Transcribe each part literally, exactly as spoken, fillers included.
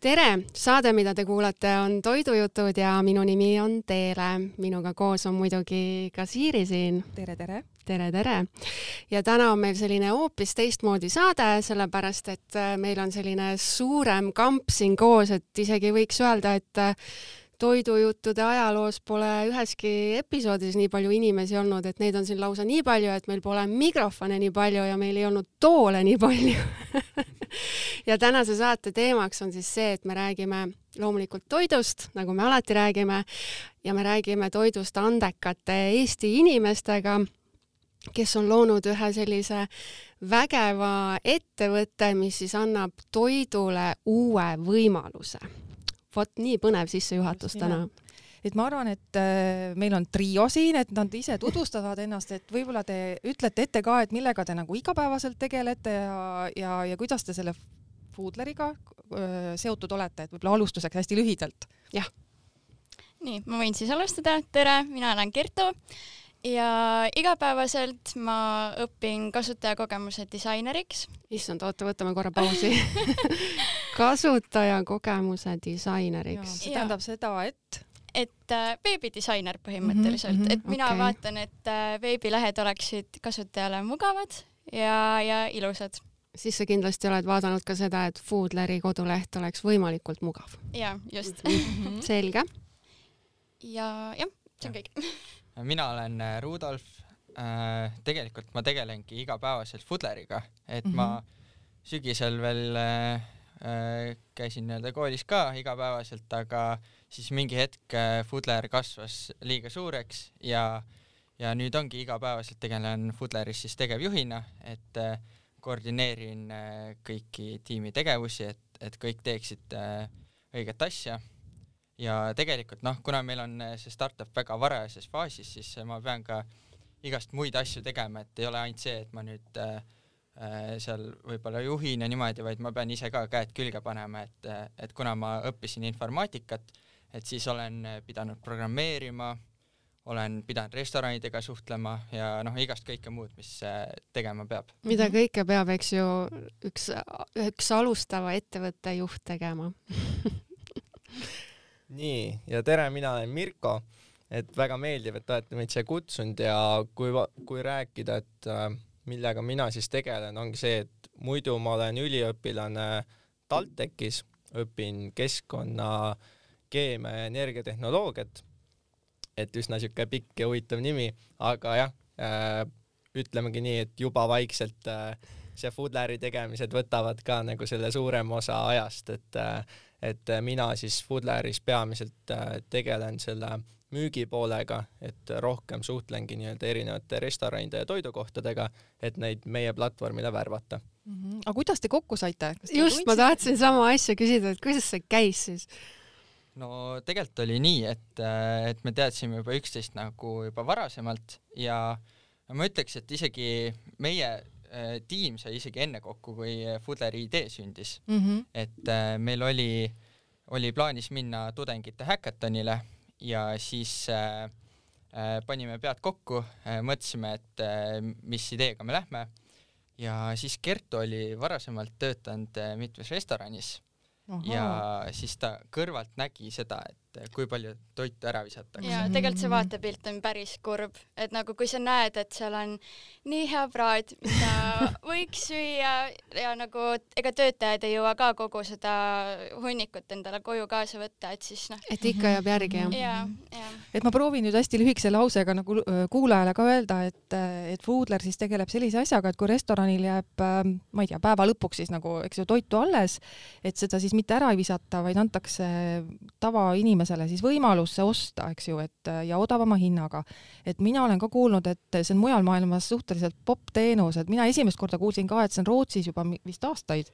tere! Saade, mida te kuulate, on Toidujutud ja minu nimi on Teele. Minuga koos on muidugi ka Siiri siin. Tere, tere! Tere, tere! Ja täna on meil selline hoopis teistmoodi saade, sellepärast et meil on selline suurem kamp siin koos, et isegi võiks öelda, et Toidujuttude ajaloos pole üheski episoodis nii palju inimesi olnud, et neid on siin lausa nii palju, et meil pole mikrofone nii palju ja meil ei olnud toole nii palju. Ja tänase saate teemaks on siis see, et me räägime loomulikult toidust, nagu me alati räägime, ja me räägime toidust andekate Eesti inimestega, kes on loonud ühe sellise vägeva ettevõtte, mis siis annab toidule uue võimaluse. Vot nii põnev sissejuhatus täna. Et ma arvan, et meil on trio siin, et nad ise tutvustavad ennast, et võib-olla te ütlete ette ka, et millega te nagu igapäevaselt tegelete ja, ja, ja kuidas te selle Foodleriga seotud olete, et võib-olla alustuseks hästi lühidalt. Jah. Nii, ma võin siis alustada. Tere, mina olen Kertu ja igapäevaselt ma õpin kasutajakogemuse disaineriks. Issand, oota, võtame korra pausi. Kasutajakogemuse disaineriks. See tähendab seda, et... Et äh, veebidisainer põhimõtteliselt. Mm -hmm, et mina okay. vaatan, et äh, veebilehed oleksid kasutajale mugavad ja, ja ilusad. Siis sa kindlasti oled vaadanud ka seda, et Foodleri koduleht oleks võimalikult mugav. Ja, just. Selge. Ja jah, see on kõik. Mina olen Rudolf. Äh, tegelikult ma tegelengi igapäevaselt Foodleriga, et mm-hmm. ma sügisel veel äh, käisin nii-öelda koolis ka igapäevaselt, aga siis mingi hetk Foodler kasvas liiga suureks ja, ja nüüd ongi igapäevaselt tegelen Foodleris siis tegevjuhina, et äh, koordineerin äh, kõiki tiimi tegevusi, et, et kõik teeksid äh, õiget asja. Ja tegelikult, noh, kuna meil on see startup väga varajases faasis, siis ma pean ka igast muid asju tegema, et ei ole ainult see, et ma nüüd äh, seal võib-olla juhin ja niimoodi, vaid ma pean ise ka käed külge panema, et, et kuna ma õppisin informaatikat, et siis olen pidanud programmeerima, olen pidanud restoranidega suhtlema ja noh, igast kõike muud, mis tegema peab. Mida kõike peab, eks ju, üks, üks alustava ettevõtte juht tegema. Nii, ja tere, mina olen Mirko, et väga meeldiv, et olete meid siia kutsunud ja kui, kui rääkida, et millega mina siis tegelen, ongi see, et muidu ma olen üliõpilane TalTechis, õpin keskkonna, keemia ja energiatehnoloogiat, et üsna siuke pikk ja huvitav nimi, aga jah, äh, ütlemegi nii, et juba vaikselt äh, see Foodleri tegemised võtavad ka nagu selle suurem osa ajast, et äh, et mina siis Foodleris peamiselt tegelen selle müügipoolega, et rohkem suhtlengi nii-öelda erinevate restoranide ja toidukohtadega, et neid meie platvormile värvata. Mm-hmm. Aga kuidas te kokku saite? Just, ma tahtsin sama asja küsida, et kuidas see käis siis? No tegelikult oli nii, et, et me teadsime juba üksteist nagu juba varasemalt ja ma ütleks, et isegi meie tiim sai isegi enne kokku, kui Foodleri idee sündis. Mm-hmm. Et äh, meil oli, oli plaanis minna tudengite hackathonile ja siis äh, äh, panime pead kokku, äh, mõtlesime, et äh, mis ideega me lähme ja siis Kertu oli varasemalt töötanud äh, mitmes restoranis. Aha. Ja siis ta kõrvalt nägi seda, et kui palju toitu ära visatakse. Ja tegelikult see vaatepilt on päris kurb, et nagu kui sa näed, et seal on nii hea praad, mida võiks süüa ja nagu ega töötajad ei jõua ka kogu seda hunnikut endale koju kaasa võtta, et siis noh. Et ikka jääb järgi, jah. Ja, ja. Et ma proovin nüüd hästi lühikese lausega nagu kuulajale ka öelda, et, et Foodler siis tegeleb sellise asjaga, et kui restoranil jääb, ma ei tea, päeva lõpuks siis nagu, eks ju, toitu alles, et seda siis mitte ära ei visata, vaid antakse tava inimesele siis võimalus see osta, eks ju, et ja odavama hinnaga. Et mina olen ka kuulnud, et see on mujal maailmas suhteliselt pop teenus, et mina esimest korda kuulsin ka, et see on Rootsis juba vist aastaid.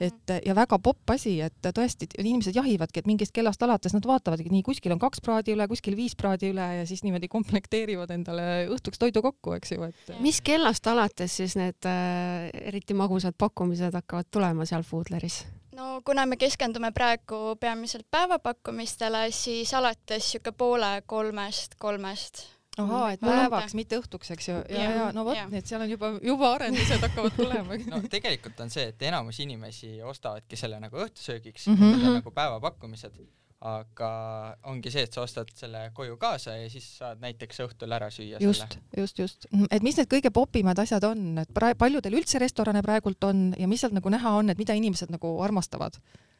Et, ja väga popp asi, et tõesti inimesed jahivadki, et mingist kellast alates nad vaatavadki, nii kuskil on kaks praadi üle, kuskil viis praadi üle ja siis niimoodi komplekteerivad endale õhtuks toidu kokku, eks ju. Et... Mis kellast alates siis need äh, eriti magusad pakkumised hakkavad tulema seal Foodleris? No kuna me keskendume praegu peamiselt päevapakkumistele, siis alates siuke poole kolmest, kolmest ahaa, et päevaks, mitte õhtuks, eks ju. Ja, ja, ja no vot, et seal on juba, juba arendused hakkavad tulema. No tegelikult on see, et enamus inimesi ostavadki selle nagu õhtusöögiks, mm -hmm. need on nagu päevapakkumised, aga ongi see, et sa ostad selle koju kaasa ja siis saad näiteks õhtul ära süüa just, selle. Just, just. Et mis need kõige popimad asjad on, et pra- paljudel üldse restorane praegult on ja mis sealt nagu näha on, et mida inimesed nagu armastavad?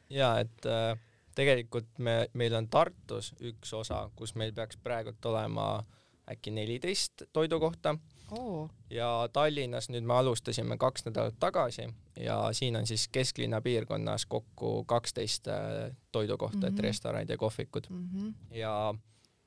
Ja, et äh, tegelikult me, meil on Tartus üks osa, kus meil peaks praegult olema äkki neliteist toidukohta oh. ja Tallinnas nüüd me alustasime kaks nädalat tagasi ja siin on siis kesklinna piirkonnas kokku kaksteist toidukohta, mm -hmm. et restoranid ja kohvikud. Mm -hmm. Ja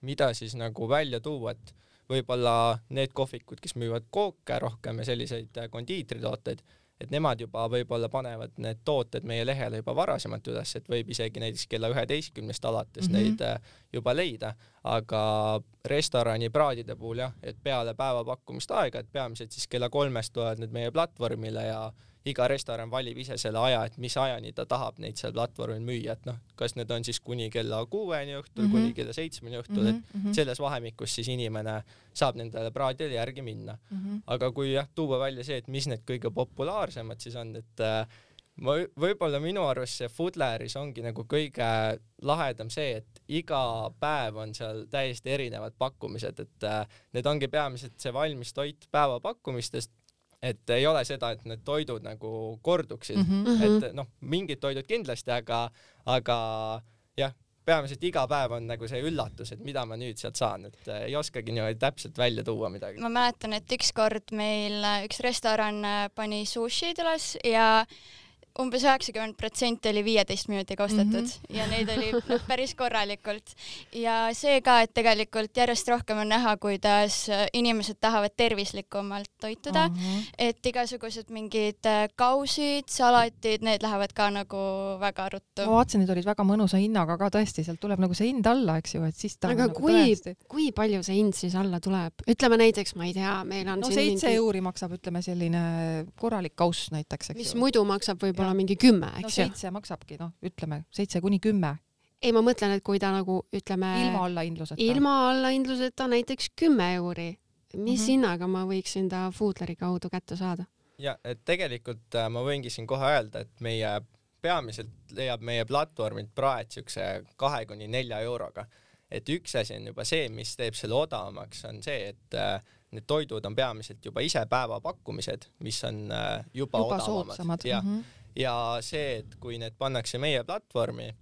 mida siis nagu välja tuua, et võib-olla need kohvikud, kes müüvad kooke rohkem ja selliseid kondiitritooteid, et nemad juba võib-olla panevad need tooted meie lehele juba varasemalt üles, et võib isegi näiteks kella üheteistkümnest alates mm -hmm. neid juba leida, aga restorani praadide puhul jah, et peale päevapakkumist aega, et peamiselt siis kella kolmest tulevad need meie platvormile ja iga restoran valib ise selle aja, et mis ajani ta tahab neid seal platvormil müüa, et noh, kas need on siis kuni kella kuueni õhtul mm, -hmm. kuni kella seitsmeni õhtul mm, -hmm. et selles vahemikus siis inimene saab nendele praadile järgi minna mm. -hmm. Aga kui jah, tuua välja see, et mis need kõige populaarsemad siis on, et äh, võib-olla minu arust see Foodleris ongi nagu kõige lahedam see, et iga päev on seal täiesti erinevad pakkumised, et äh, need ongi peamiselt see valmis toit päevapakkumistest, et ei ole seda, et need toidud nagu korduksid mm, -hmm. et noh, mingid toidud kindlasti, aga, aga jah, peamiselt iga päev on nagu see üllatus, et mida ma nüüd sealt saan, et ei oskagi niimoodi täpselt välja tuua midagi. Ma mäletan, et ükskord meil üks restoran pani sushid üles ja umbes üheksakümmend protsenti oli viieteist minutiga ostetud mm -hmm. ja neid oli no, päris korralikult. Ja see ka, et tegelikult järjest rohkem on näha, kuidas inimesed tahavad tervislikumalt toituda, mm -hmm. et igasugused mingid kausid, salatid, need lähevad ka nagu väga ruttu. Ma vaatasin, need olid väga mõnusa hinnaga ka tõesti, sealt tuleb nagu see hind alla, eks ju, et siis ta aga nagu kui, tõesti. kui palju see hind siis alla tuleb? Ütleme näiteks, ma ei tea, meil on no siin seitse mingi... euri maksab, ütleme selline korralik kauss näiteks, eks mis ju. muidu maksab võib-olla ja. mingi kümme, eks no, ju? seitse maksabki, noh, ütleme, seitse kuni kümme. Ei, ma mõtlen, et kui ta nagu, ütleme... Ilma allahindluseta. Ilma allahindluseta näiteks kümme euri. Mis mm -hmm. hinnaga ma võiksin ta Foodleri kaudu kätte saada? Ja, et tegelikult ma võingi siin kohe öelda, et meie peamiselt leiab meie platvormilt praed siukse kahe kuni nelja euroga. Et üks asi on juba see, mis teeb selle odavamaks, on see, et need toidud on peamiselt juba ise päevapakkumised, mis on juba, juba odavamad. Ja, mm -hmm. ja see, et kui need pannakse meie platvormi,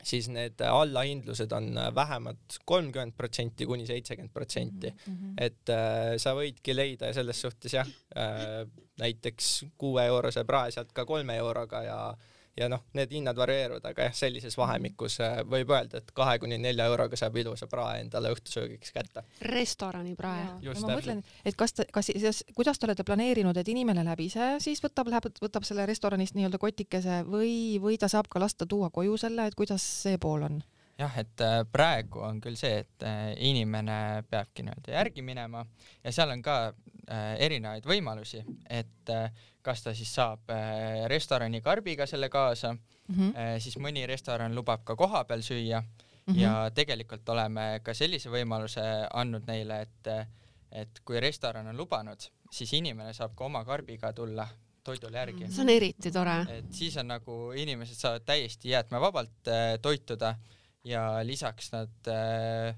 siis need allahindlused on vähemalt kolmkümmend protsenti kuni seitsekümmend protsenti. Mm-hmm. Et äh, sa võidki leida selles suhtes jah, äh, näiteks kuue eurose prae sealt ka kolme euroga ja ja noh, need hinnad varieeruvad, aga jah, sellises vahemikus võib öelda, et kahe kuni nelja euroga saab ilusa prae endale õhtusöögiks kätte. Restorani prae. Ja ma mõtlen, et kas te, kas siis, kuidas te olete planeerinud, et inimene läheb ise, siis võtab, läheb, võtab selle restoranist nii-öelda kotikese või, või ta saab ka lasta tuua koju selle, et kuidas see pool on? Jah, et praegu on küll see, et inimene peabki nii-öelda järgi minema ja seal on ka erinevaid võimalusi, et kas ta siis saab restorani karbiga selle kaasa, mm -hmm. siis mõni restoran lubab ka kohapeal süüa mm -hmm. ja tegelikult oleme ka sellise võimaluse andnud neile, et, et kui restoran on lubanud, siis inimene saab ka oma karbiga tulla toidule järgi. See on eriti tore. Et siis on nagu inimesed saavad täiesti jäätmevabalt toituda ja lisaks nad äh,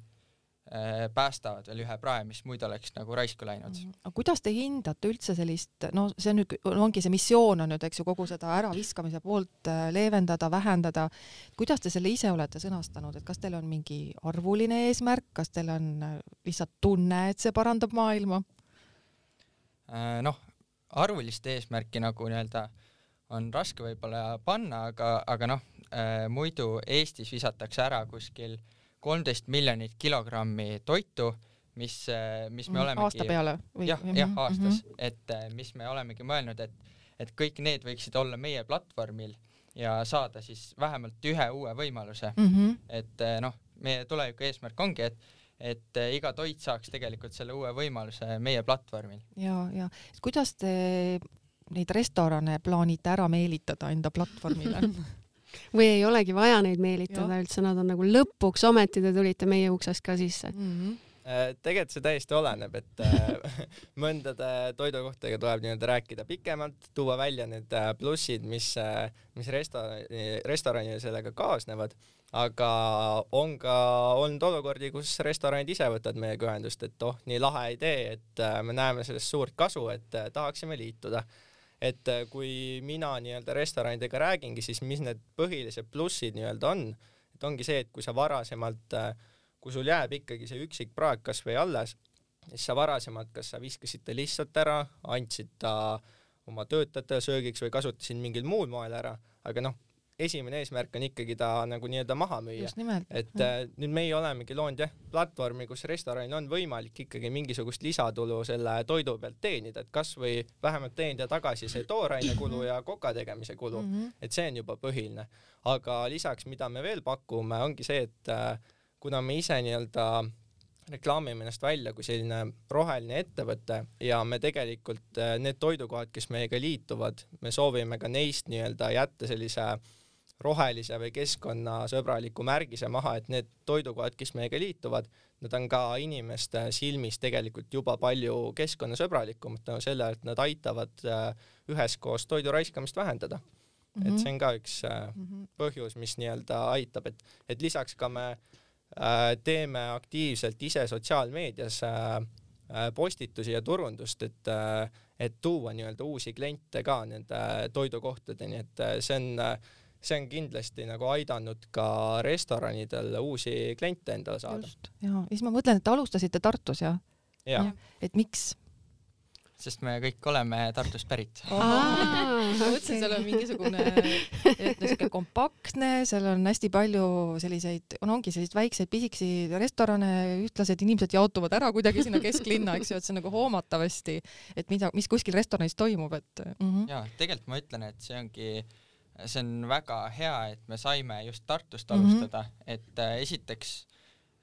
päästavad veel ühe prae, mis muidu oleks nagu raisku läinud. Aga kuidas te hindate üldse sellist, no see on nüüd, ongi see missioon on nüüd, eks ju, kogu seda äraviskamise poolt leevendada, vähendada. Kuidas te selle ise olete sõnastanud, et kas teil on mingi arvuline eesmärk, kas teil on lihtsalt tunne, et see parandab maailma? Noh, arvulist eesmärki nagu nii-öelda on raske võib-olla panna, aga, aga noh, muidu Eestis visatakse ära kuskil kolmteist miljonit kilogrammi toitu, mis, mis me olemegi... Aasta peale? Või? Jah, jah, aastas. Mm -hmm. Et mis me olemegi mõelnud, et, et kõik need võiksid olla meie platvormil ja saada siis vähemalt ühe uue võimaluse. Mm -hmm. Et noh, meie tuleviku eesmärk ongi, et et iga toit saaks tegelikult selle uue võimaluse meie platvormil. Ja, ja. Kuidas te neid restorane plaanite ära meelitada enda platvormile? Või ei olegi vaja neid meelitada ja. Üldse, nad on nagu lõpuks ometi te tulite meie uksest ka sisse. Mm-hmm. tegelikult see täiesti oleneb, et mõndade toidukohtadega tuleb nii-öelda rääkida pikemalt, tuua välja need plussid, mis, mis restorani, restoranile sellega kaasnevad, aga on ka olnud olukordi, kus restoranid ise võtavad meiega ühendust, et oh, nii lahe idee, et me näeme sellest suurt kasu, et tahaksime liituda. Et kui mina nii-öelda restoranidega räägingi, siis mis need põhilised plussid nii-öelda on, et ongi see, et kui sa varasemalt kui sul jääb ikkagi see üksik praeg kas või alles, siis sa varasemalt, kas sa viskasid ta lihtsalt ära, andsid ta oma töötajatele söögiks või kasutasid mingil muul moel ära, aga noh, esimene eesmärk on ikkagi ta nagu nii-öelda maha müüa. Et äh, nüüd meie olemegi loonud jah, platvormi, kus restoranil on võimalik ikkagi mingisugust lisatulu selle toidu pealt teenida, et kas või vähemalt teenida tagasi see tooraine kulu ja koka tegemise kulu, mm -hmm. et see on juba põhiline. Aga lisaks, mida me veel pakume, ongi see, et äh, kuna me ise nii-öelda reklaamime ennast välja kui selline roheline ettevõte ja me tegelikult need toidukohad, kes meiega liituvad, me soovime ka neist nii-öelda jätta sellise rohelise või keskkonnasõbraliku märgise maha, et need toidukohad, kes meiega liituvad, nad on ka inimeste silmis tegelikult juba palju keskkonnasõbralikumad tänu sellele, et nad aitavad üheskoos toidu raiskamist vähendada. Mm-hmm. Et see on ka üks mm-hmm. põhjus, mis nii-öelda aitab, et, et lisaks ka me teeme aktiivselt ise sotsiaalmeedias postitusi ja turundust, et, et tuua nii-öelda uusi kliente ka nende toidukohtadeni, et see on, see on kindlasti nagu aidanud ka restoranidel uusi kliente endale saada. Just, ja. Siis ma mõtlen, et alustasite Tartus ja, ja. et miks? Sest me kõik oleme Tartust pärit. Ma mõtlesin, seal on mingisugune et kompaktne, seal on hästi palju selliseid, on ongi selliseid väikseid pisiksi restorane, ühtlased inimesed jaotuvad ära kuidagi sinna kesklinna, eks ju, et see on nagu hoomatavasti, et mida, mis kuskil restoranis toimub. Et, mm -hmm. ja, tegelikult ma ütlen, et see ongi, see on väga hea, et me saime just Tartust alustada, mm -hmm. et äh, esiteks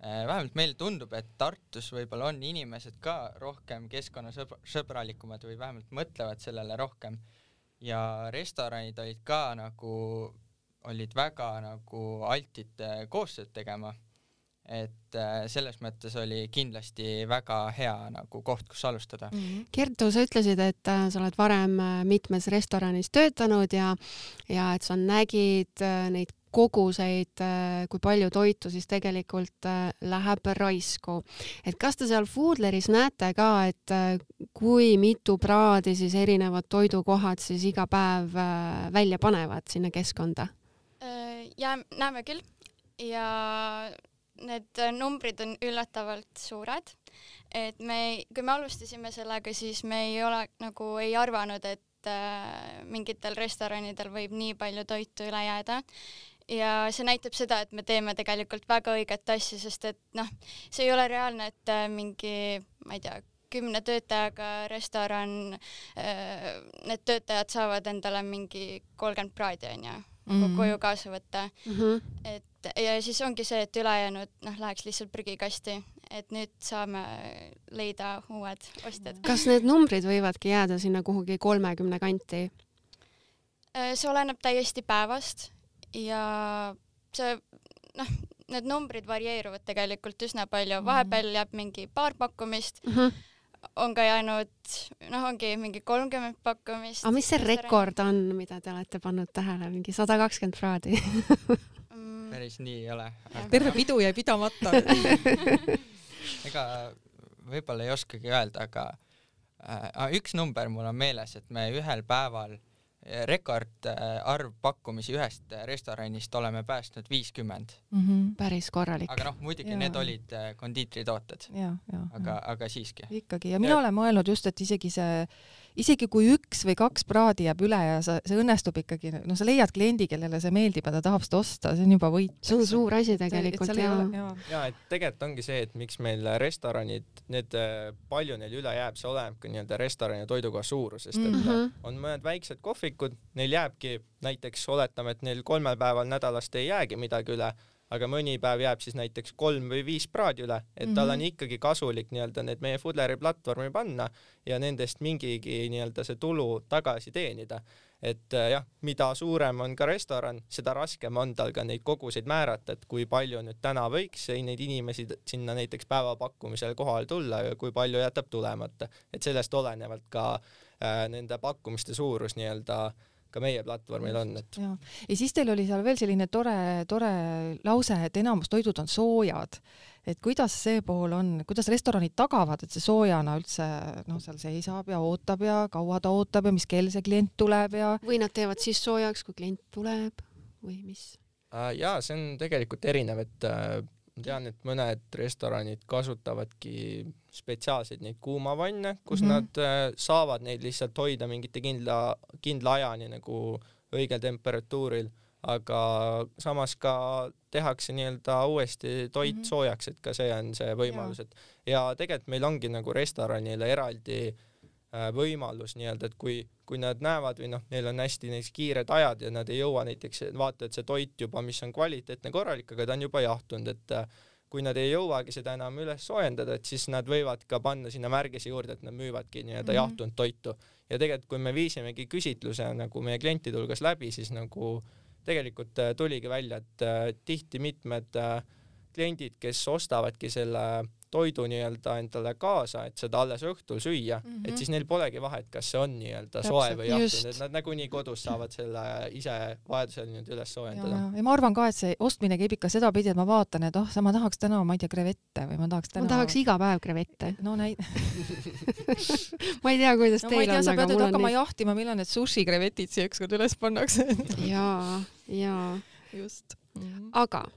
vähemalt meile tundub, et Tartus võib-olla on inimesed ka rohkem keskkonnasõbralikumad või vähemalt mõtlevad sellele rohkem ja restoranid olid ka nagu, olid väga nagu altid koostööd tegema, et selles mõttes oli kindlasti väga hea nagu koht, kus alustada. Mm-hmm. Kertu, sa ütlesid, et sa oled varem mitmes restoranis töötanud ja, ja et sa nägid neid koguseid, kui palju toitu siis tegelikult läheb raisku. Et kas te seal Foodleris näete ka, et kui mitu praadi siis erinevad toidukohad siis iga päev välja panevad sinna keskkonda? Ja näeme küll ja need numbrid on üllatavalt suured. Et me, kui me alustasime sellega, siis me ei ole nagu ei arvanud, et mingitel restoranidel võib nii palju toitu üle jääda. Ja see näitab seda, et me teeme tegelikult väga õiget asja, sest et noh, see ei ole reaalne, et mingi, ma ei tea, kümne töötajaga restoran, need töötajad saavad endale mingi kolmkümmend praadi on ja mm-hmm. koju kaasa võtta. Mm-hmm. Et, ja siis ongi see, et ülejäänud noh, läheks lihtsalt prügikasti, et nüüd saame leida uued ostjad. Kas need numbrid võivadki jääda sinna kuhugi kolmekümne kanti? See oleneb täiesti päevast. Ja see, noh, need numbrid varieeruvad tegelikult üsna palju. Vahepeal jääb mingi paar pakkumist, mm-hmm. on ka jäänud, noh, ongi mingi kolmkümmend pakkumist. Aga mis see rekord on, mida te olete pannud tähele? Mingi sada kakskümmend praadi? Päris nii ei ole. Aga... terve pidu jäi pidamata. Ega võib-olla ei oskagi öelda, aga äh, üks number mul on meeles, et me ühel päeval rekordarv pakkumisi ühest restoranist oleme päästnud viiskümmend. Mm-hmm. Päris korralik. Aga noh, muidugi ja. Need olid kondiitritooted. Ja, ja, aga, ja. aga siiski. Ikkagi. Ja mina ja. olen mõelnud just, et isegi see, isegi kui üks või kaks praadi jääb üle ja sa, see õnnestub ikkagi, no sa leiad kliendi, kellele see meeldib ja ta tahab seda osta, see on juba võit. See on suur asi tegelikult. Ja. Ja. ja, et tegelikult ongi see, et miks meil restoranid, need palju neil üle jääb, see oleneb ka nii-öelda restorani toidukoha suurusest, et mm-hmm. on mõned väiksed kohvikud, neil jääbki näiteks, oletame, et neil kolmel päeval nädalast ei jäägi midagi üle, aga mõni päev jääb siis näiteks kolm või viis praadi üle, et mm-hmm. tal on ikkagi kasulik nii-öelda need meie Foodleri platvormi panna ja nendest mingigi nii-öelda see tulu tagasi teenida. Et jah, mida suurem on ka restoran, seda raskem on tal ka neid koguseid määrata, et kui palju nüüd täna võiks neid inimesi sinna näiteks päevapakkumisel kohale tulla ja kui palju jätab tulemata. Et sellest olenevalt ka äh, nende pakkumiste suurus nii-öelda ka meie platvormil on. Et... Ja. ja siis teil oli seal veel selline tore, tore lause, et enamus toidud on soojad. Et kuidas see pool on, kuidas restoranid tagavad, et see soojana üldse no, seal seisab ja ootab ja kaua ta ootab ja mis kell see klient tuleb ja... Või nad teevad siis soojaks, kui klient tuleb või mis? Ja see on tegelikult erinev, et ma tean, et mõned restoranid kasutavadki spetsiaalseid neid kuumavanne, kus mm-hmm. nad saavad neid lihtsalt hoida mingite kindla, kindla ajani nagu õigel temperatuuril, aga samas ka tehakse nii-öelda uuesti toit mm-hmm. soojaks, et ka see on see võimalus. Et ja tegelikult meil ongi nagu restoranile eraldi võimalus nii-öelda, et kui, kui nad näevad või noh, neil on hästi neis kiired ajad ja nad ei jõua näiteks vaata, et see toit juba, mis on kvaliteetne korralik, aga ta on juba jahtunud, et kui nad ei jõuagi seda enam üles soojendada, et siis nad võivad ka panna sinna märgise juurde, et nad müüvadki nii-öelda mm-hmm. jahtunud toitu. Ja tegelikult, kui me viisimegi küsitluse nagu meie klientide hulgas läbi, siis nagu tegelikult tuligi välja, et tihti mitmed kliendid, kes ostavadki selle toidu nii-öelda endale kaasa, et seda alles õhtul süüa, mm-hmm. et siis neil polegi vahet, kas see on nii-öelda soe või jahtunud, et nad nagunii kodus saavad selle ise vajadusel nüüd üles soojendada. Ja, ja ma arvan ka, et see ostmine käib ikka seda pidi, et ma vaatan, et oh, ma tahaks täna, ma ei tea, krevette või ma tahaks täna... Ma tahaks iga päev krevette. No näi... ma ei tea, kuidas no, teil tea, on, aga mul on hakkama nii... jahtima, millal need sushi krevetid siia ükskord üles pannakse. jaa, jaa. Just. Mm-hmm. Aga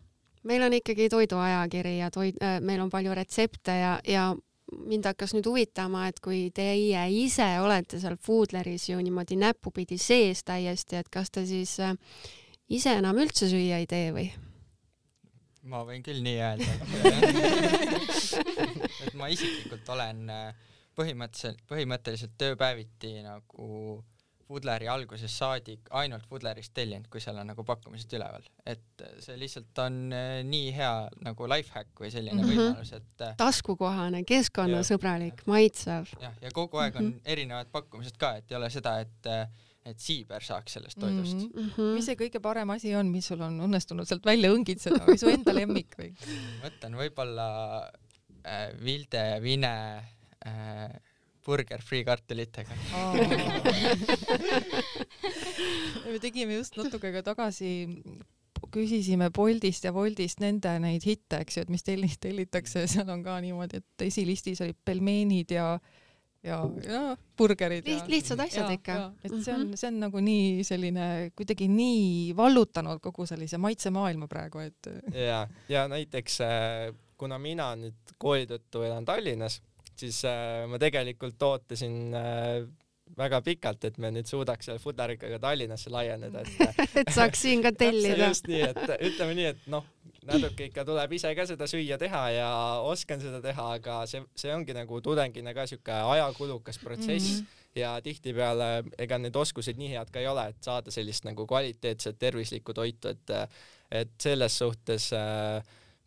meil on ikkagi toiduajakiri ja toid, äh, meil on palju retsepte ja, ja mind hakkas nüüd huvitama, et kui teie ise olete seal Foodleris ju niimoodi näpupidi sees täiesti, et kas te siis äh, ise enam üldse süüa ei tee või? Ma võin küll nii öelda. et ma isiklikult olen põhimõtteliselt, põhimõtteliselt tööpäeviti nagu Foodleri alguses saadik ainult Foodlerist tellinud, kui seal on nagu pakkumised üleval. Et see lihtsalt on nii hea nagu lifehack või selline mm-hmm. võimalus, et taskukohane, keskkonnasõbralik, maitsev. Jah, ja kogu aeg on mm-hmm. erinevad pakkumised ka, et ei ole seda, et, et siiber saaks sellest toidust. Mm-hmm. Mis see kõige parem asi on, mis sul on õnnestunud sealt välja õngitseda või su enda lemmik või? Mõtlen võib-olla äh, Vilde Vine äh, burger friikartulitega. Me tegime just natuke ka tagasi, küsisime Boltist ja Woltist nende neid hitte, eks ju, et mis telli, tellitakse, seal on ka niimoodi, et esilistis olid pelmeenid ja ja, ja burgerid. Liht, lihtsad asjad ja, ikka. Ja, et see on, see on nagu nii selline, kuidagi nii vallutanud kogu sellise maitsemaailma praegu, et... Ja, ja näiteks, kuna mina nüüd kooli tõttu elan Tallinnas, siis äh, ma tegelikult ootasin äh, väga pikalt, et me nüüd suudaks selle Foodleriga Tallinnasse laieneda. Et, et saaks siin ka tellida. Just nii, et ütleme nii, et noh, natuke ikka tuleb ise ka seda süüa teha ja oskan seda teha, aga see, see ongi nagu tudengina ka siuke ajakulukas protsess mm-hmm. ja tihtipeale ega need oskused nii head ka ei ole, et saada sellist nagu kvaliteetset tervislikku toitu, et, et selles suhtes äh,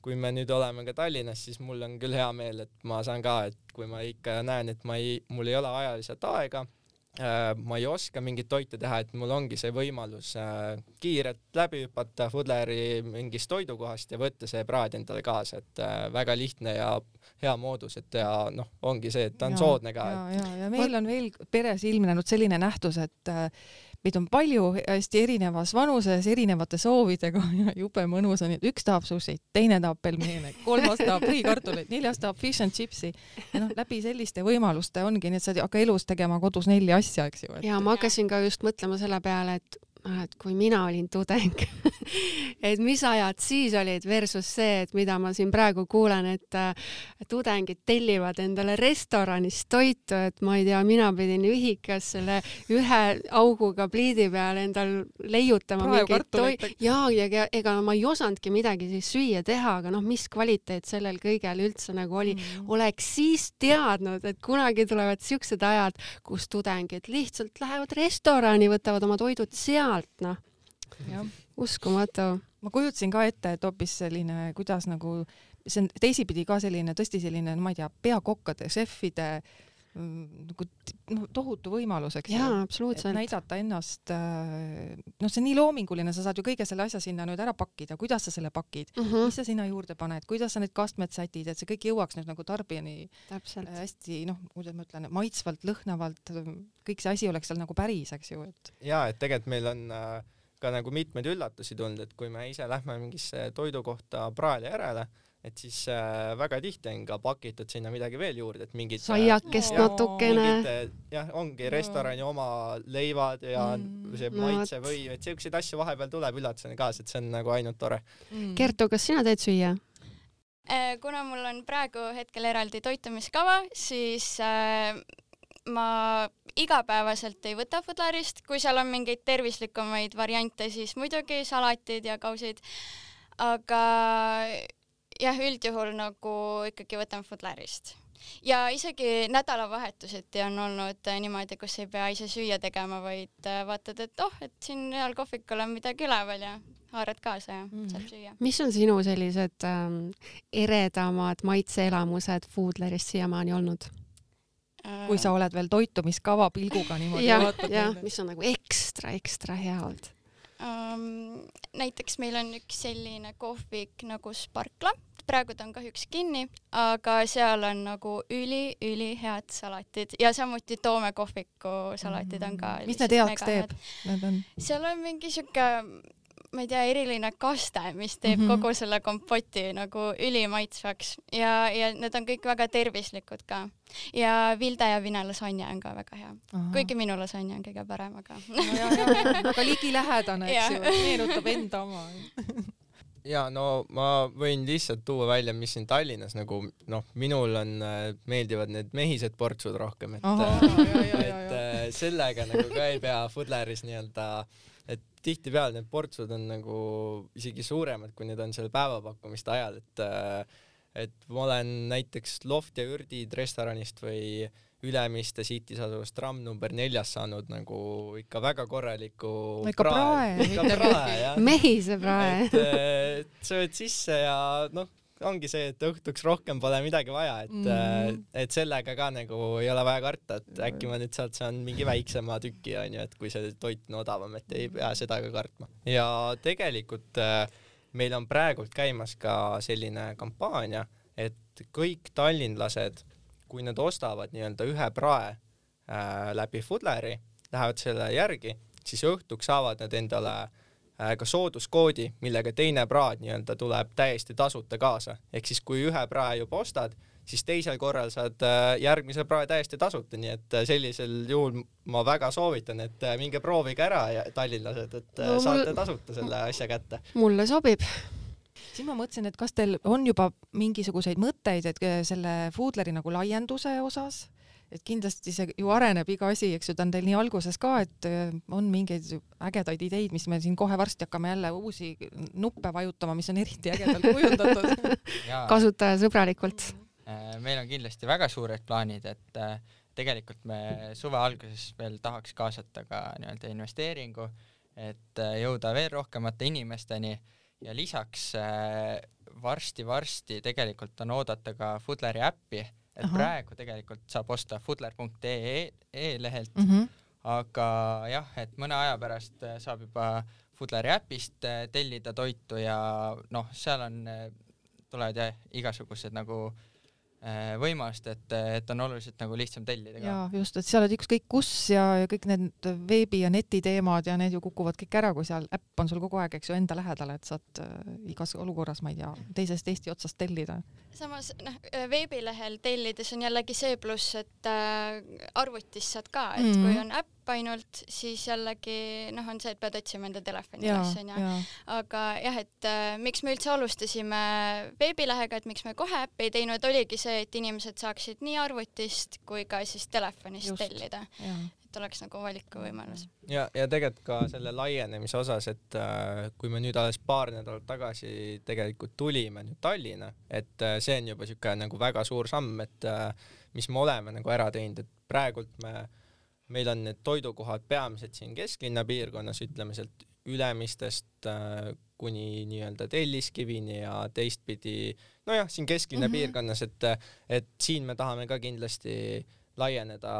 kui me nüüd oleme ka Tallinnas, siis mul on küll hea meel, et ma saan ka, et kui ma ikka näen, et ma ei, mul ei ole ajaliselt aega, äh, ma ei oska mingit toitu teha, et mul ongi see võimalus äh, kiirelt läbi hüpata Foodleri mingist toidukohast ja võtta see praad endale kaasa, et äh, väga lihtne ja hea moodus, et ja noh, ongi see, et ta on ja, soodne ka. Ja, ja, ja meil on veel peres ilmnenud selline nähtus, et äh, meid on palju hästi erinevas vanuses, erinevate soovidega ja jube mõnus on, et üks tahab sushit, teine tahab pelmeene, kolmas tahab friikartuleid, neljas tahab fish and chipsi. Ja noh, läbi selliste võimaluste ongi, nii et sa hakka elus tegema kodus neli asja, eks ju. Et... Ja ma hakkasin ka just mõtlema selle peale, et et kui mina olin tudeng, et mis ajad siis olid versus see, et mida ma siin praegu kuulen, et tudengid tellivad endale restoranis toitu, et ma ei tea, mina pidin ühikas selle ühe auguga pliidi peal endal leiutama mingit toitu. Ja, ja ega ma ei osandki midagi siis süüa teha, aga noh, mis kvaliteet sellel kõigel üldse nagu oli. Mm. Oleks siis teadnud, et kunagi tulevad siuksed ajad, kus tudengid lihtsalt lähevad restorani, võtavad oma toidud seal, noh, uskumatu. ma kujutasin ka ette, et hoopis selline, kuidas nagu, see on teisipidi ka selline, tõesti selline, ma ei tea, peakokkade, šefide nagu no, tohutu võimalus, eks ju. Jaa, absoluutselt. Näidata ennast, noh, see on nii loominguline, sa saad ju kõige selle asja sinna nüüd ära pakkida, kuidas sa selle pakid, uh -huh. mis sa sinna juurde paned, kuidas sa need kastmed sätid, et see kõik jõuaks nüüd nagu tarbijani Täpselt. hästi, noh, kuidas ma ütlen, maitsvalt, lõhnavalt, kõik see asi oleks seal nagu päris, eks ju. Et... Jaa, et tegelikult meil on äh, ka nagu mitmeid üllatusi tulnud, et kui me ise lähme mingisse toidukohta praali järele, et siis äh, väga tihti on ka pakitud sinna midagi veel juurde, et mingid saiakest äh, natukene. Jah, ongi restorani oma leivad ja mm, see maitse või, et selliseid asju vahepeal tuleb üllatusena kaasa, et see on nagu ainult tore. Mm. Kertu, kas sina teed süüa? Kuna mul on praegu hetkel eraldi toitumiskava, siis äh, ma igapäevaselt ei võta Foodlarist, kui seal on mingeid tervislikumaid variante, siis muidugi salatid ja kausid, aga jah, üldjuhul nagu ikkagi võtan Foodlarist. Ja isegi nädalavahetuseti on olnud niimoodi, kus ei pea ise süüa tegema, vaid vaatad, et oh, et siin real kohvikul on midagi üleval ja haarad kaasa ja mm. saab süüa. Mis on sinu sellised ähm, eredamad maitseelamused Foodlarist siiamaani olnud? Kui sa oled veel toitumiskava pilguga niimoodi ja, vaatad. Ja, mis on nagu ekstra, ekstra hea olnud. Um, näiteks meil on üks selline kohvik nagu Sparkla, praegu ta on kahjuks kinni, aga seal on nagu üli, üli head salatid ja samuti Toome kohviku salatid on ka. Mis need heaks teeb? On... seal on mingi siuke, ma ei tea, eriline kaste, mis teeb mm -hmm. kogu selle kompoti nagu ülimaitsvaks ja, ja need on kõik väga tervislikud ka. Ja Vilde ja Vine lasanja on ka väga hea. Aha. Kuigi minu lasanja on kõige parem, aga... No, ja, ja, aga ligilähedane, eks ju, meenutab enda oma. Ja no ma võin lihtsalt tuua välja, mis siin Tallinnas nagu, noh, minul on, meeldivad need mehised portsud rohkem, et, Aha, ja, ja, ja, et ja. sellega nagu ka ei pea Foodlaris nii-öelda, et tihtipeale need portsud on nagu isegi suuremad, kui need on selle päevapakkumiste ajal, et et ma olen näiteks Loft ja Ürdid restoranist või Ülemiste City's asuvast tram number neljas saanud nagu ikka väga korraliku ikka prae, ikka prae jah. Mehise prae. et, et sööd sisse ja noh, ongi see, et õhtuks rohkem pole midagi vaja, et mm. et sellega ka nagu ei ole vaja karta, et äkki ma nüüd sealt saan mingi väiksema tüki, onju, et kui see toit on odavam, et ei pea seda ka kartma. Ja tegelikult meil on praegult käimas ka selline kampaania, et kõik tallinlased, kui nad ostavad nii-öelda ühe prae äh, läbi Foodleri, lähevad selle järgi, siis õhtuks saavad nad endale äh, ka sooduskoodi, millega teine praad nii-öelda tuleb täiesti tasuta kaasa. Ehk siis kui ühe prae juba ostad, siis teisel korral saad äh, järgmise prae täiesti tasuta, nii et sellisel juhul ma väga soovitan, et äh, minge proovige ära ja tallinlased, et äh, no, saate mul... tasuta selle asja kätte. Mulle sobib. Siis ma mõtlesin, et kas teil on juba mingisuguseid mõtteid, et selle Foodleri nagu laienduse osas, et kindlasti see ju areneb iga asi, eks ju, ta on teil nii alguses ka, et on mingeid ägedaid ideid, mis me siin kohe varsti hakkame jälle uusi nuppe vajutama, mis on eriti ägedalt kujundatud. Kasutajasõbralikult. Meil on kindlasti väga suured plaanid, et tegelikult me suve alguses veel tahaks kaasata ka nii-öelda investeeringu, et jõuda veel rohkemate inimesteni. Ja lisaks varsti-varsti tegelikult on oodata ka Foodleri äppi, et Aha. praegu tegelikult saab osta foodler punkt ee lehelt, mm -hmm. aga jah, et mõne aja pärast saab juba Foodleri äpist tellida toitu ja noh, seal on, tulevad jah, igasugused nagu võimalust, et, et on oluliselt nagu lihtsam tellida ka. Ja just, et seal on ükskõik kus ja, ja kõik need veebi ja netiteemad ja need ju kukuvad kõik ära, kui seal äpp on sul kogu aeg, eks ju, enda lähedale, et saad äh, igas olukorras, ma ei tea, teisest Eesti otsast tellida. Samas noh, veebilehel tellides on jällegi see pluss, et äh, arvutis saad ka, et mm-hmm. kui on äpp ainult, siis jällegi noh, on see, et pead otsima enda telefoni üles, on ju. Aga jah, et äh, miks me üldse alustasime veebilehega, et miks me kohe äppi ei teinud, oligi see, et inimesed saaksid nii arvutist kui ka siis telefonist Just. tellida. Ja. Et oleks nagu valikuvõimalus. Ja, ja tegelikult ka selle laienemise osas, et äh, kui me nüüd alles paar nädalat tagasi tegelikult tulime nüüd Tallinna, et äh, see on juba siuke nagu väga suur samm, et äh, mis me oleme nagu ära teinud, et praegult me, meil on need toidukohad peamiselt siin kesklinna piirkonnas, ütleme sealt Ülemistest äh, kuni nii-öelda Telliskivini ja teistpidi, nojah, siin kesklinna mm -hmm. piirkonnas, et, et siin me tahame ka kindlasti laieneda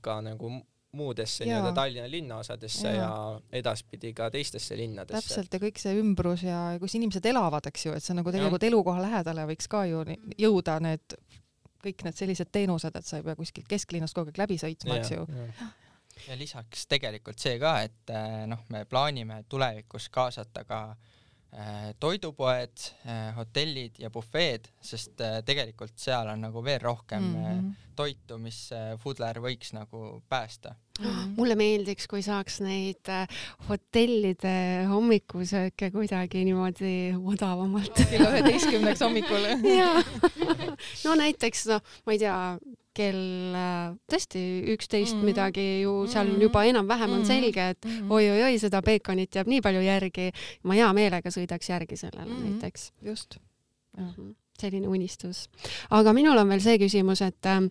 ka nagu muudesse nii-öelda Tallinna linnaosadesse ja. ja edaspidi ka teistesse linnadesse. Täpselt, ja kõik see ümbrus ja kus inimesed elavad, eks ju, et see nagu tegelikult ja. elukoha lähedale võiks ka ju jõuda need, kõik need sellised teenused, et sa ei pea kuskilt kesklinnast kogu aeg läbi sõitma, eks ju. Ja lisaks tegelikult see ka, et noh, me plaanime tulevikus kaasata ka toidupoed, hotellid ja bufeed, sest tegelikult seal on nagu veel rohkem mm -hmm. toitu, mis Foodler võiks nagu päästa. Mm -hmm. Mulle meeldiks, kui saaks neid hotellide hommikusööke kuidagi niimoodi odavamalt. Kella üheteistkümneks hommikul. Jaa. No näiteks, no, ma ei tea, kell tõesti üksteist mm -hmm. midagi ju seal mm -hmm. juba enam-vähem on selge, et mm -hmm. oi-oi-oi, seda peekonit jääb nii palju järgi. Ma hea meelega sõidaks järgi sellele mm -hmm. näiteks. Just. Mm -hmm. Selline unistus. Aga minul on veel see küsimus, et äh,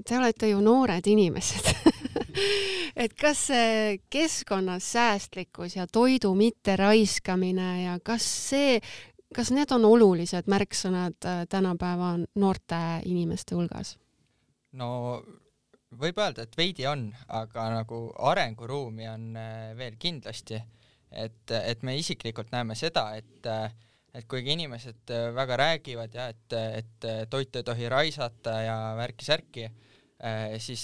te olete ju noored inimesed. Et kas see keskkonnas säästlikkus ja toidu mitte raiskamine ja kas see Kas need on olulised märksõnad tänapäeva noorte inimeste hulgas? No võib öelda, et veidi on, aga nagu arenguruumi on veel kindlasti. Et, et me isiklikult näeme seda, et, et kuigi inimesed väga räägivad ja et, et toitu ei tohi raisata ja värki-särki, siis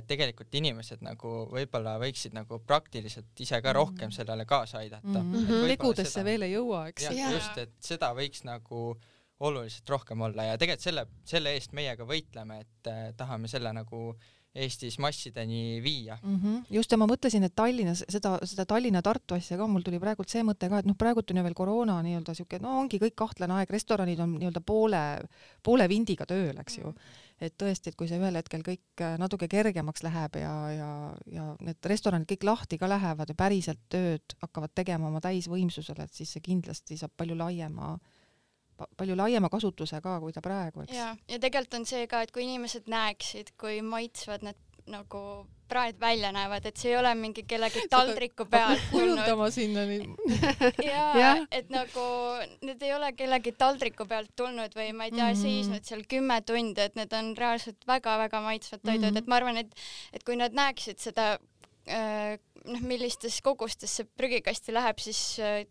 tegelikult inimesed nagu võib-olla võiksid nagu praktiliselt ise ka rohkem sellele kaasa aidata. Mm -hmm. Tegudesse seda, veel ei jõua, eks? Ja, just, et seda võiks nagu oluliselt rohkem olla ja tegelikult selle, selle eest meie ka võitleme, et eh, tahame selle nagu Eestis massideni viia. Mm -hmm. Just, ja ma mõtlesin, et Tallinnas, seda, seda Tallinna-Tartu asja ka, mul tuli praegult see mõte ka, et noh, praegult on ju veel koroona nii-öelda siuke, no ongi kõik kahtlane aeg, restoranid on nii-öelda poole, poole vindiga tööl, eks ju. Et tõesti, et kui see ühel hetkel kõik natuke kergemaks läheb ja, ja, ja need restoranid kõik lahti ka lähevad ja päriselt tööd hakkavad tegema oma täisvõimsusele, et siis see kindlasti saab palju laiema palju laiema kasutuse ka, kui ta praegu, eks. Ja, ja tegelikult on see ka, et kui inimesed näeksid, kui maitsvad need nagu praed välja näevad, et see ei ole mingi kellegi taldriku pealt kujutama sinna nii. ja, ja, et nagu need ei ole kellegi taldriku pealt tulnud või ma ei tea, mm -hmm. seisnud seal kümme tundi, et need on reaalselt väga-väga maitsvad toidud, mm -hmm. et ma arvan, et, et kui nad näeksid seda noh, millistes kogustes see prügikasti läheb, siis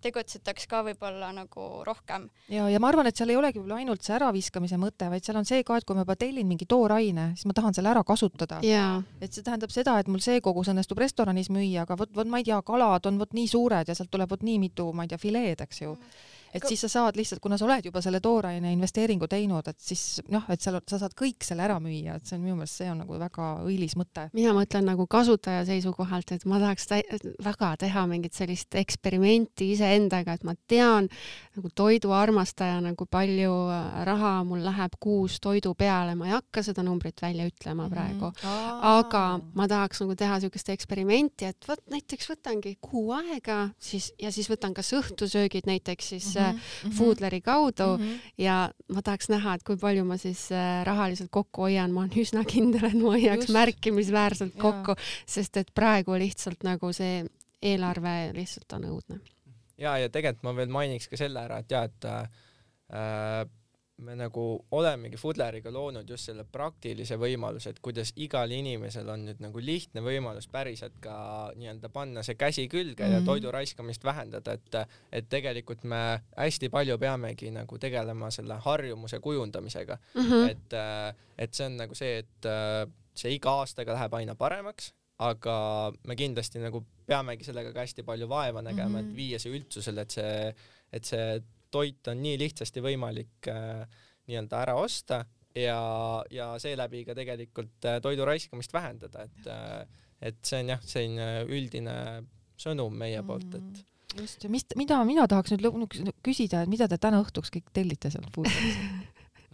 tegutsetaks ka võib-olla nagu rohkem. Ja, ja ma arvan, et seal ei olegi ainult see äraviskamise mõte, vaid seal on see ka, et kui ma juba tellin mingi tooraine, siis ma tahan selle ära kasutada. Yeah. Et see tähendab seda, et mul see kogus õnnestub restoranis müüa, aga vot, vot ma ei tea, kalad on vot nii suured ja sealt tuleb vot nii mitu, ma ei tea, fileed, eks ju. Et siis sa saad lihtsalt, kuna sa oled juba selle tooraine investeeringu teinud, et siis noh, et seal, sa saad kõik selle ära müüa, et see on minu meelest, see on nagu väga õilis mõte. Mina mõtlen nagu kasutaja seisukohalt, et ma tahaks väga teha mingit sellist eksperimenti iseendaga, et ma tean nagu toiduarmastajana, kui palju raha mul läheb kuus toidu peale, ma ei hakka seda numbrit välja ütlema praegu, mm-hmm. aga ma tahaks nagu teha niisugust eksperimenti, et võt, näiteks võtangi kuu aega siis, ja siis võtan kas õhtusöögid näiteks siis mm-hmm. Foodleri kaudu mm-hmm. ja ma tahaks näha, et kui palju ma siis rahaliselt kokku hoian, ma olen üsna kindel, et ma hoiaks märkimisväärselt kokku, ja. Sest et praegu lihtsalt nagu see eelarve lihtsalt on õudne. Ja, ja tegelikult ma veel mainiks ka selle ära, et ja, et äh, me nagu olemegi Foodleriga loonud just selle praktilise võimaluse, et kuidas igal inimesel on nüüd nagu lihtne võimalus päriselt ka nii-öelda panna see käsi külge mm-hmm. ja toidu raiskamist vähendada, et, et tegelikult me hästi palju peamegi nagu tegelema selle harjumuse kujundamisega mm-hmm. et, et see on nagu see, et see iga aastaga läheb aina paremaks, aga me kindlasti nagu peamegi sellega ka hästi palju vaeva nägema mm-hmm. et viia see üldsusele, et see, et see toit on nii lihtsasti võimalik äh, nii-öelda ära osta ja, ja seeläbi ka tegelikult äh, toidu raiskamist vähendada, et, äh, et see on jah, selline üldine sõnum meie mm. poolt, et just, ja mis, mida mina tahaks nüüd küsida, et mida te täna õhtuks kõik tellite sealt Foodleris?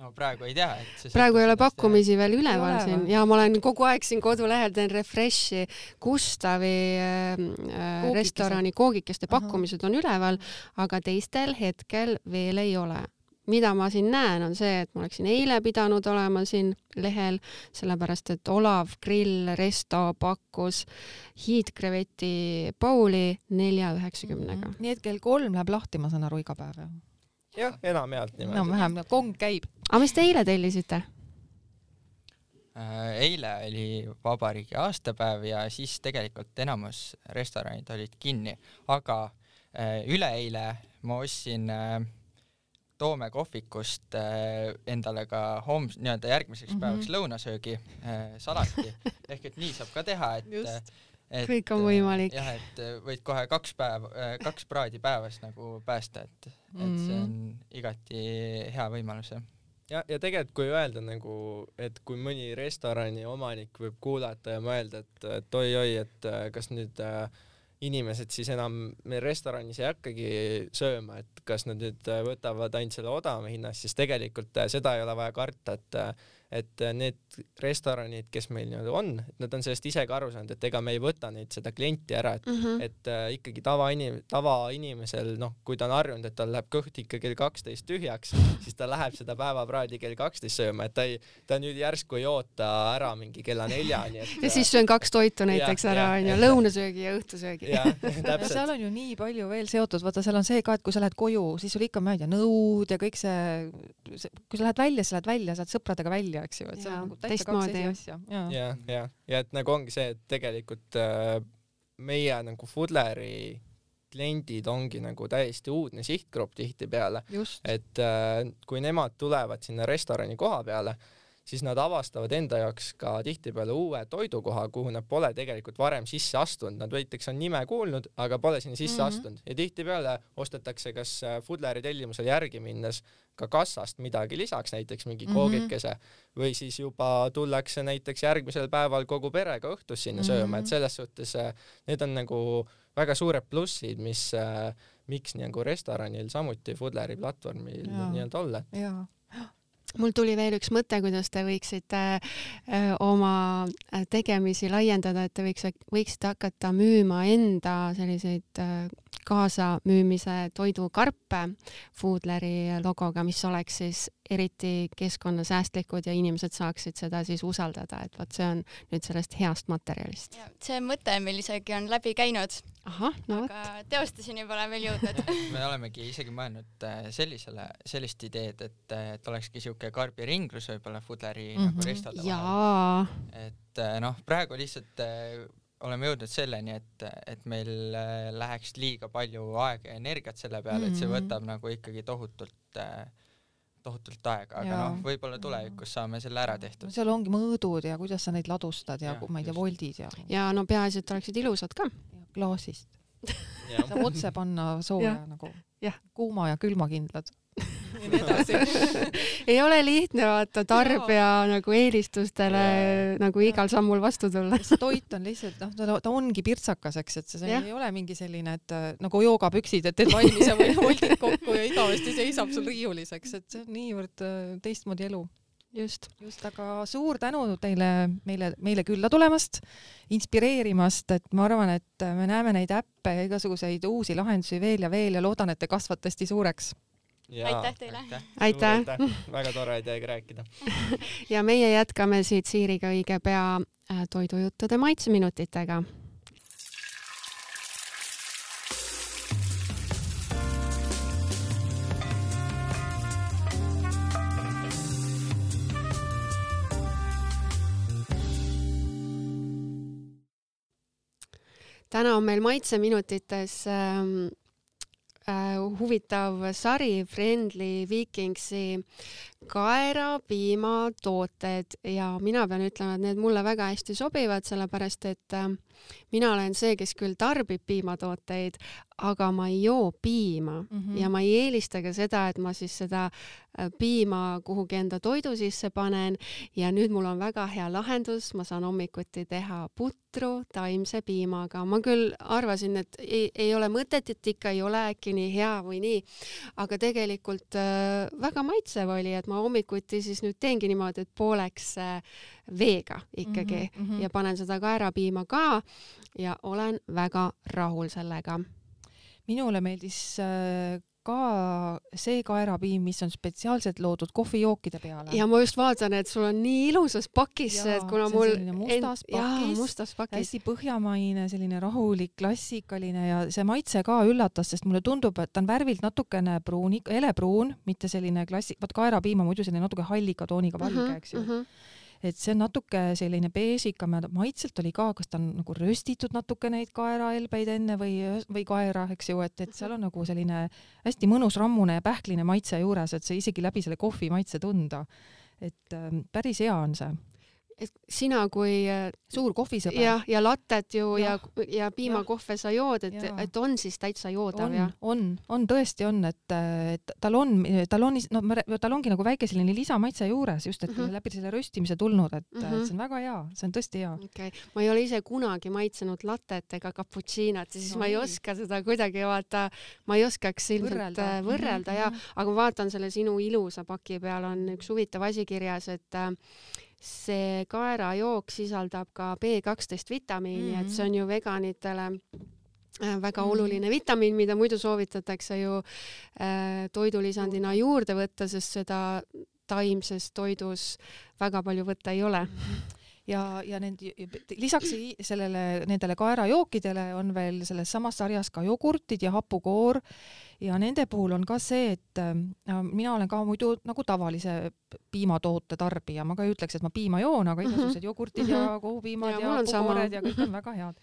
No praegu ei tea, et praegu ei ole pakkumisi veel üleval ole siin ja ma olen kogu aeg siin kodulehel teen refreshi, Gustavi äh, restorani koogikeste pakkumised on üleval, aga teistel hetkel veel ei ole. mida ma siin näen, on see, et ma oleksin eile pidanud olema siin lehel, sellepärast et Olav Grill Resto pakkus hiidkreveti bowli nelja üheksakümnega. Mm -hmm. Nii et kell kolm läheb lahti, ma saan aru, iga päev. Jah, jah enamjaolt niimoodi. No vähem, kong käib. Aga mis te eile tellisite? Eile oli vabariigi aastapäev ja siis tegelikult enamus restoranid olid kinni, aga üleeile ma ostsin Toome kohvikust endale ka homm, nii-öelda järgmiseks päevaks mm -hmm. lõunasöögi salati, ehk et nii saab ka teha, et, et kõik on võimalik. Jah, et võid kohe kaks päev, kaks praadi päevas nagu päästa, et, et see on igati hea võimalus. Ja, ja tegelikult kui öelda nagu, et kui mõni restorani omanik võib kuulata ja mõelda, et, et oi-oi, et kas nüüd äh, inimesed siis enam meil restoranis ei hakkagi sööma, et kas nad nüüd võtavad ainult selle odavama hinnas, siis tegelikult seda ei ole vaja karta, et et need restoranid, kes meil nii-öelda on, et nad on sellest ise ka aru saanud, et ega me ei võta neid seda klienti ära, et, mm -hmm. et äh, ikkagi tava'inim-, tavainimesel, noh, kui ta on harjunud, et tal läheb kõht ikka kell kaksteist tühjaks, siis ta läheb seda päevapraadi kell kaksteist sööma, et ta ei, ta nüüd järsku ei oota ära mingi kella neljani. ja siis söön kaks toitu näiteks ja, ära, on ju, lõunasöögi ja õhtusöögi. Ja seal on ju nii palju veel seotud, vaata, seal on see ka, et kui sa lähed koju, siis sul ikka, ma ei tea, nõud ja kõik see, see, kui sa lähed välja, sa lähed välja, saad sõpradega välja, eks ju, et see on nagu täitsa kaks esi asja. ja, ja, ja, ja et nagu ongi see, et tegelikult äh, meie nagu Foodleri kliendid ongi nagu täiesti uudne sihtgrupp tihtipeale, et äh, kui nemad tulevad sinna restorani koha peale, siis nad avastavad enda jaoks ka tihtipeale uue toidukoha, kuhu nad pole tegelikult varem sisse astunud. Nad võiteks on nime kuulnud, aga pole sinna sisse mm -hmm. astunud. Ja tihtipeale ostetakse kas Foodleri tellimusel järgi minnes ka kassast midagi lisaks, näiteks mingi mm -hmm. koogikese, või siis juba tullakse näiteks järgmisel päeval kogu perega õhtus sinna mm -hmm. sööma, et selles suhtes need on nagu väga suured plussid, mis, miks nagu restoranil samuti Foodleri platvormil nii-öelda olla. Jaa. Mul tuli veel üks mõte, kuidas te võiksite öö, oma tegemisi laiendada, et te võiks, võiksite hakata müüma enda selliseid öö, kaasamüümise toidukarpe Foodleri logoga, mis oleks siis eriti keskkonnasäästlikud ja inimesed saaksid seda siis usaldada, et vot see on nüüd sellest heast materjalist. See mõte meil isegi on läbi käinud, Aha, no aga teostuseni pole veel jõudnud. Me olemegi isegi mõelnud sellisele, sellist ideed, et, et olekski siuke karbiringlus võib-olla Foodleri mm -hmm. nagu restode vahel. Et noh, praegu lihtsalt oleme jõudnud selleni, et, et meil läheks liiga palju aega ja energiat selle peale, et see võtab nagu ikkagi tohutult tohutult aega, aga ja. noh, võib-olla tulevikus saame selle ära tehtud. Seal ongi mõõdud ja kuidas sa neid ladustad ja, ja ma ei tea, voldid ja... Ja no peaasi, et oleksid ilusad ka. Klaasist. Saab otse panna sooja ja. Nagu ja. Kuuma ja külmakindlad. Ja nii edasi. Ei ole lihtne vaata tarbija ja. Nagu eelistustele ja. Nagu igal sammul vastu tulla. See toit on lihtsalt, noh, ta, ta ongi pirtsakas, eks, et see ja. Ei ole mingi selline, et nagu joogapüksid, et teed valmis ja voldid kokku ja igavesti seisab sul riiulis, eks, et see on niivõrd teistmoodi elu. Just. Just, aga suur tänu teile meile, meile külla tulemast, inspireerimast, et ma arvan, et me näeme neid äppe ja igasuguseid uusi lahendusi veel ja veel ja loodan, et te kasvate hästi suureks. Ja, aitäh teile. Aitäh. aitäh. Väga tore ideega rääkida. Ja meie jätkame siit Siiriga õige pea toidujuttude maitseminutitega. Täna on meil maitseminutites ähm, äh, huvitav sari Friendly Vikingsi kaerapiimatooted ja mina pean ütlema, et need mulle väga hästi sobivad, sellepärast et äh, mina olen see, kes küll tarbib piimatooteid, aga ma ei joo piima mm -hmm. ja ma ei eelista ka seda, et ma siis seda piima kuhugi enda toidu sisse panen ja nüüd mul on väga hea lahendus, ma saan hommikuti teha putru taimse piimaga. Ma küll arvasin, et ei, ei ole mõtet, et ikka ei ole äkki nii hea või nii, aga tegelikult äh, väga maitsev oli, et ma hommikuti siis nüüd teengi niimoodi, et pooleks äh, veega ikkagi mm -hmm. ja panen seda kaerapiima ka ja olen väga rahul sellega. Minule meeldis äh, ka see kaerapiim, mis on spetsiaalselt loodud kohvijookide peale. Ja ma just vaatan, et sul on nii ilusas pakis, ja, et kuna see mul on mustas pakis, jaa, mustas pakis. hästi põhjamaine, selline rahulik, klassikaline ja see maitse ka üllatas, sest mulle tundub, et ta on värvilt natukene pruun, elepruun, mitte selline klassi-, vaat kaerapiim on muidu selline natuke hallika tooniga valge, uh -huh, eks ju. Uh -huh. Et see on natuke selline beežikam ja maitselt oli ka, kas ta on nagu röstitud natuke neid kaeraelbeid enne või, või kaera, eks ju, et, et seal on nagu selline hästi mõnus rammune ja pähkline maitse juures, et see isegi läbi selle kohvi maitse tunda. Et ähm, päris hea on see. Et sina kui suur kohvisõber. Ja, ja lattet ju ja, ja, ja piimakohve sa jood, et, et on siis täitsa joodav. On, ja? on, on tõesti on, et, et tal on, tal on, no tal ongi nagu väike selline lisamaitse juures, just et mm -hmm. läbi selle röstimise tulnud, et, mm -hmm. et see on väga hea, see on tõesti hea. Okay. Ma ei ole ise kunagi maitsenud lattet ega cappuccinot, siis no, ma ei oska seda kuidagi vaata, ma ei oskaks ilmselt võrrelda, võrrelda mm -hmm. ja, aga ma vaatan selle sinu ilusa paki peal on üks huvitav asi kirjas, et see kaerajook sisaldab ka B kaksteist vitamiini mm, -hmm. et see on ju veganitele väga mm -hmm. oluline vitamiin, mida muidu soovitatakse ju äh, toidulisandina juurde võtta, sest seda taimses toidus väga palju võtta ei ole. ja, ja need, lisaks sellele, nendele kaerajookidele on veel selles samas sarjas ka jogurtid ja hapukoor ja nende puhul on ka see, et äh, mina olen ka muidu nagu tavalise piimatoote tarbija, ma ka ei ütleks, et ma piima joon, aga igasugused jogurtid mm -hmm. ja kohupiimad ja, ja hapukoored ja kõik on väga head.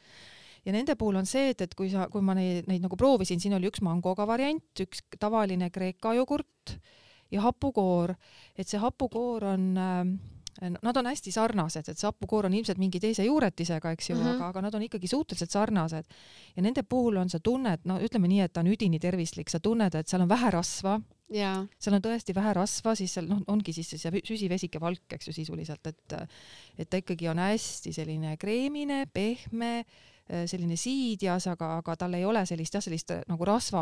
Ja nende puhul on see, et, et kui sa, kui ma neid, neid nagu proovisin, siin oli üks mangoga variant, üks tavaline kreeka jogurt ja hapukoor, et see hapukoor on äh, nad on hästi sarnased, et see hapukoor on ilmselt mingi teise juuretisega, eks ju, mm -hmm. aga, aga nad on ikkagi suhteliselt sarnased. Ja nende puhul on see tunne, et no ütleme nii, et ta on üdini tervislik, sa tunned, et seal on vähe rasva, yeah. seal on tõesti vähe rasva, siis seal noh, ongi siis see süsivesike valk, eks ju, sisuliselt, et, et ta ikkagi on hästi selline kreemine, pehme, selline siidjas, aga, aga tal ei ole sellist, jah, sellist nagu rasva,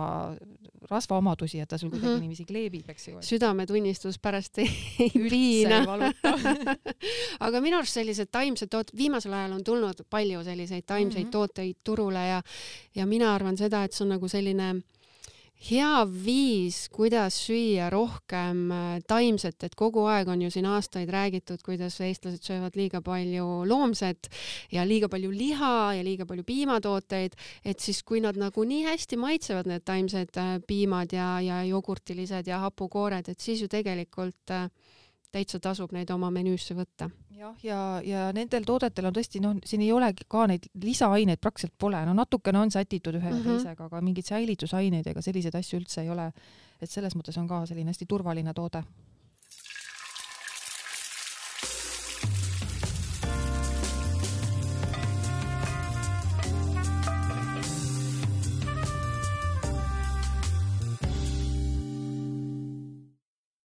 rasva omadusi, et ta sul kuidagi mm -hmm. niiviisi kleebib, eks ju. Südametunnistus pärast ei, ei piina. aga minu arust sellised taimsed tooted, viimasel ajal on tulnud palju selliseid taimseid mm -hmm. tooteid turule ja, ja mina arvan seda, et see on nagu selline hea viis, kuidas süüa rohkem taimset, et kogu aeg on ju siin aastaid räägitud, kuidas eestlased söövad liiga palju loomset ja liiga palju liha ja liiga palju piimatooteid, et siis kui nad nagu nii hästi maitsevad, need taimsed piimad ja, ja jogurtilised ja hapukoored, et siis ju tegelikult täitsa tasub neid oma menüüsse võtta. jah, ja, ja nendel toodetel on tõesti, noh, siin ei olegi ka neid lisaaineid praktiliselt pole, no natukene on sätitud ühe ja mm -hmm. teisega, aga mingeid säilitusaineid ega selliseid asju üldse ei ole. Et selles mõttes on ka selline hästi turvaline toode.